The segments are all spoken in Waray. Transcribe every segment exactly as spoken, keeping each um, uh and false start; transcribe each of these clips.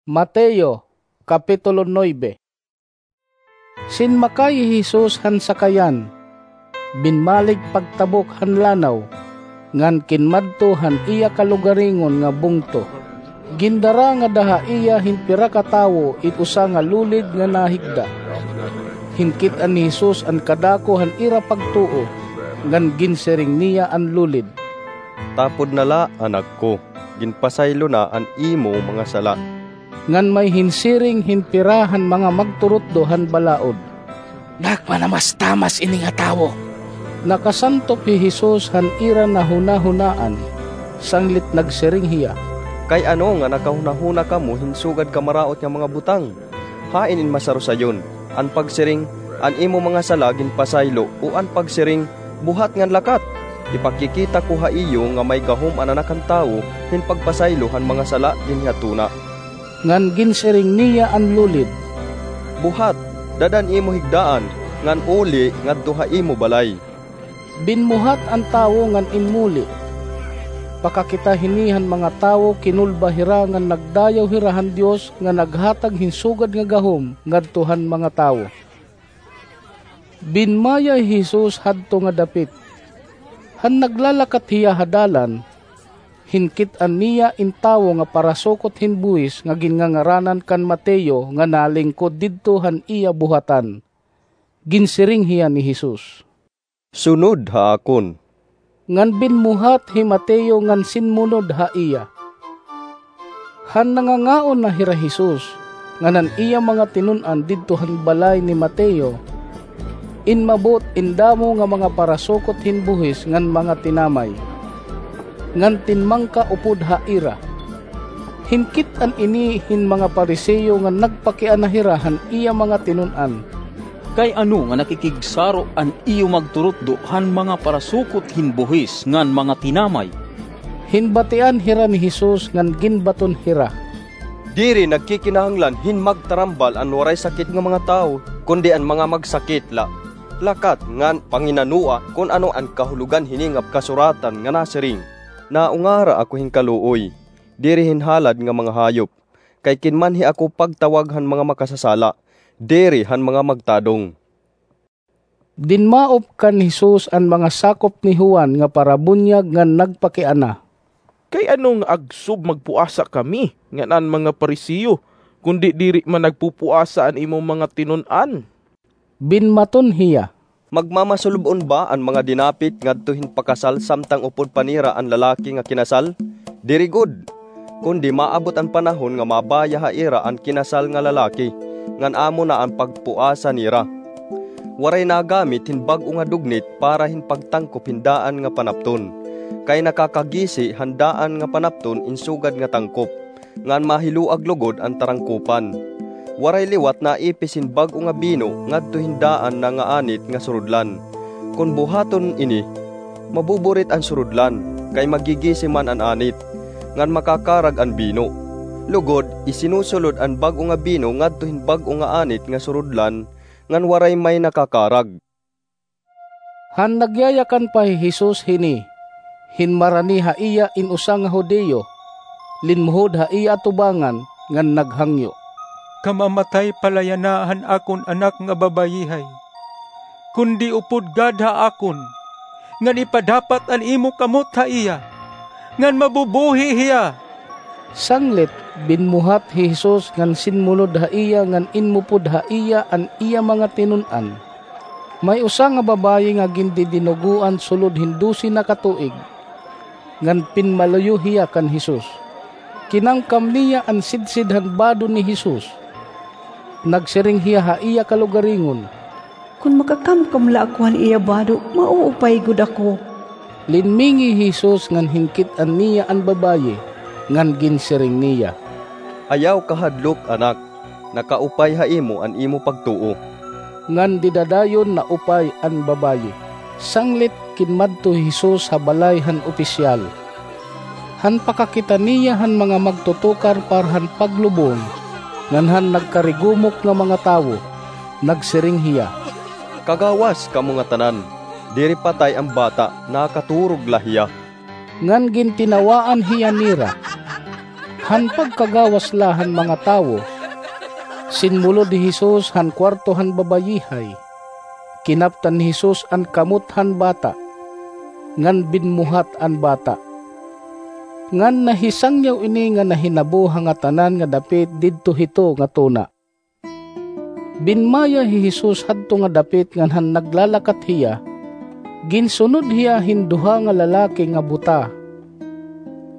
Mateo, Kapitulo nuebe. Sinmakay hi Jesus han sakayan, binmalig pagtabok han lanaw, ngan kinmadto han iya kalugaringon nga bungto. Gindara ngada ha iya hin pira ka tawo it usa nga lulid nga nahigda. Hinkit-an ni Jesus an kadako han ira pagtuo, ngan ginsiring niya an lulid, "Tapod na la, anak ko, ginpasaylo na an imo mga sala." Ngan may hinsiring hin pira han mga magturutdo han balaod, "Nagmanamastamas ini nga tawo." Nakasantop hi Jesus han ira nahunahunaan, sanglit nagsiring hiya, "Kay ano nga nakahunahuna kamo hin sugad ka maraot nga mga butang? Hain in masarusayon, an pagsiring, 'An imo mga sala ginpasaylo,' o an pagsiring, 'Buhat ngan lakat'? Ipakikita ko ha iyo nga may gahom an Anak han Tawo hin pagpasaylo han mga sala dinhi ha tuna." Ngan ginsiring niya an lulid, "Buhat, dad-a an imo higdaan, ngan uli ngadto ha imo balay." Binmuhat an tawo ngan inmuli. Pakakita hini han mga tawo, kinulba hira ngan nagdayaw hira han Dios nga naghatag hin sugad nga gahom ngadto han mga tawo. Binmaya hi Jesus hadto nga dapit. Han naglalakat hiya ha dalan, hinkit-an niya in tawo nga parasukot hin buhis nga ginngangaranan kan Mateo nga nalingkod didto han iya buhatan. Ginsiring hiya ni Jesus, "Sunod ha akon." Ngan binmuhat hi Mateo ngan sinmunod ha iya. Han nangangaon na hira Jesus, ngan an iya mga tinun-an didto han balay ni Mateo, inmabot in damo nga mga parasukot hin buhis ngan mga tinamay, ngan tinmangka upod ha ira. Hinkit-an ini hin mga Pariseo ngan nagpakiana hira han iya mga tinun-an, "Kay ano nga nakikigsaro an iyo magturutdo han mga parasukot hin buhis ngan mga tinamay?" Hinbatian hira ni Jesus ngan ginbaton hira, "Diri nagkikinahanglan hin magtarambal an waray sakit nga mga tawo, kundi an mga magsakit la. Lakat ngan panginanoa kon ano an kahulogan hini nga kasuratan nga nasiring, 'Naungara ako hin kaluoy, diri hin halad nga mga hayop.' Kay kinmanhi ako pagtawag han mga makasasala, diri han mga magtadong." Dinmaop kan Jesus an mga sakop ni Juan nga parabunyag ngan nagpakiana, "Kay ano nga agsob magpuasa kami ngan an mga Pariseo, kundi diri man nagpupuasa an imo mga tinun-an?" Binmaton hiya, "Magmamasulub-on ba an mga dinapit ngadto hin pakasal samtang upod pa nira an lalaki nga kinasal? Diri gud! Kundi maabot an panahon nga mabaya ha ira an kinasal nga lalaki, ngan amo na an pagpuasa nira. Waray nagamit hin bag-o nga dugnit para hin pagtangkop hin daan nga panapton, kay nakakagisi han daan nga panapton in sugad nga tangkop, ngan mahiluag lugod an tarangkopan. Waray liwat naipis hin bag-o nga bino ngadto hin daan na nga anit nga surudlan. Kon buhaton ini, mabuburit an surudlan, kay magigisi man an anit, ngan makakarag an bino. Lugod, isinusulod an bag-o nga bino ngadto hin bag-o nga anit nga surudlan, ngan waray may nakakarag." Han nagyayakan pa hi Jesus hini, hinmarani ha iya in usa nga Judio, linmuhod ha iya atubangan ngan naghangyo, "Kamamatay pa la yana han akon anak nga babayihay, kundi upod gad ha akon, ngan ipadapat an imo kamot ha iya, ngan mabubuhi hiya." Sanglit, binmuhat hi Jesus ngan sinmunod ha iya ngan inmupod ha iya an iya mga tinun-an. May usa nga babayi nga gindidinugoan sulod hin dose na ka tuig, ngan pinmaluyo hiya kan Jesus. Kinamkam niya an sidsid han bado ni Jesus. Nagsiring hiya ha iya kalugaringon, "Kon makakamkam la ako han iya bado, mauupay gud ako." Linmingi hi Jesus ngan hinkit-an niya an babayi, ngan ginsiring niya, "Ayaw kahadlok, anak. Nakaupay ha imo an imo pagtuo." Ngan dida dayon naupay an babayi. Sanglit kinmadto hi Jesus ha balay han opisyal. Han pakakita niya han mga magtutukar para han paglubong ngan han nagkarigumok nga mga tawo, nagsiring hiya, "Kagawas kamo ngatanan! Diri patay an bata, nakaturog la hiya." Ngan gintinawaan hiya nira. Han pagkagawas la han mga tawo, sinmulod hi Jesus han kuwarto han babayihay. Kinaptan ni Jesus an kamot han bata, ngan binmuhat an bata. Ngan nahisangyaw ini nga nahinabo ha ngatanan nga dapit didto hito nga tuna. Binmaya hi Jesus hadto nga dapit ngan han naglalakat hiya, ginsunod hiya hin duha nga lalaki nga buta.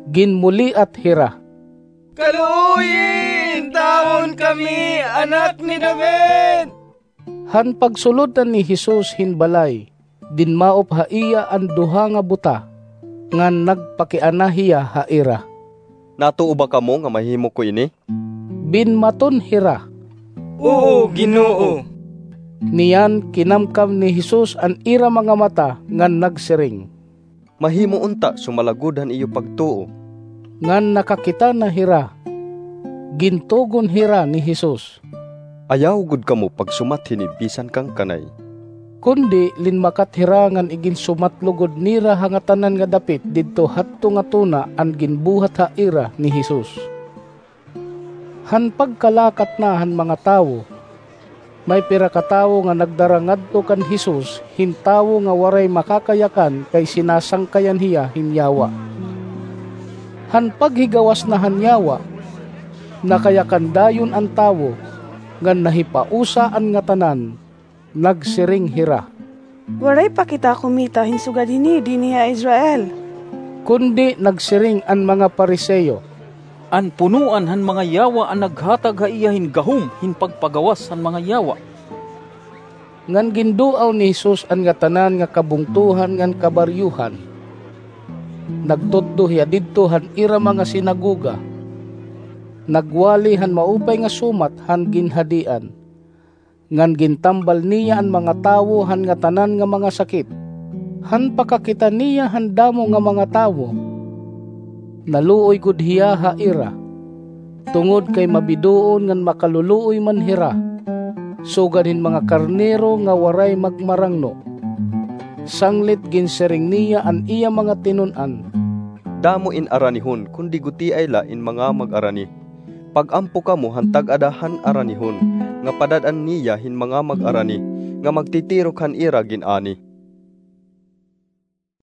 Ginmuliat hira, "Kaluoyi, intawon kami, Anak ni David!" Han pagsulod na ni Jesus hin balay, dinmaop ha iya an duha nga buta, ngan nagpakiana hiya ha ira, "Natuo ba kamo nga mahimo ko ini?" Binmaton hira, "Oo, Ginoo." Niyan kinamkam ni Jesus an ira mga mata ngan nagsiring, "Mahimo unta sumala gud han iyo pagtuo." Ngan nakakita na hira, gintugon hira ni Jesus, "Ayaw gud kamo pagsumat hini bisan kan kanay." Kundi linmakat hira ngan iginsumatlo gud nira ha ngatanan nga dapit didto hadto nga tuna an ginbuhat ha ira ni Jesus. Han pagkalakat na han mga tawo, may pira ka tawo nga nagdara ngadto kan Jesus hin tawo nga waray makakayakan kay sinasangkayan hiya hin yawa. Han paghigawas na han yawa, nakayakan dayon an tawo, ngan nahipausa an ngatanan. Nagsiring hira, "Waray pa kita kumita hin sugad hini dinhi ha Israel." Kundi nagsiring an mga Fariseo, "An punoan han mga yawa an naghatag ha iya hin gahom hin pagpagawas han mga yawa." Ngan ginduaw ni Jesus an ngatanan nga kabungtohan ngan kabaryohan. Nagtutdo hiya didto han ira mga sinagoga. Nagwali han maupay nga sumat han ginhadian. Ngan gintambal niya an mga tawo han ngatanan nga mga sakit. Han pakakita niya han damo nga mga tawo, naluoy gud hiya ha ira, tungod kay mabidoon ngan makaluluoy man hira, sugad hin mga karnero nga waray magmarangno. Sanglit ginsiring niya an iya mga tinun-an, "Damo in aranihon, kundi gutiay la in mga mag-arani. Pag-ampo kamo han tag-ada han aranihon, nga padad-an niya hin mga mag-arani, nga magtitirok han ira gin-ani."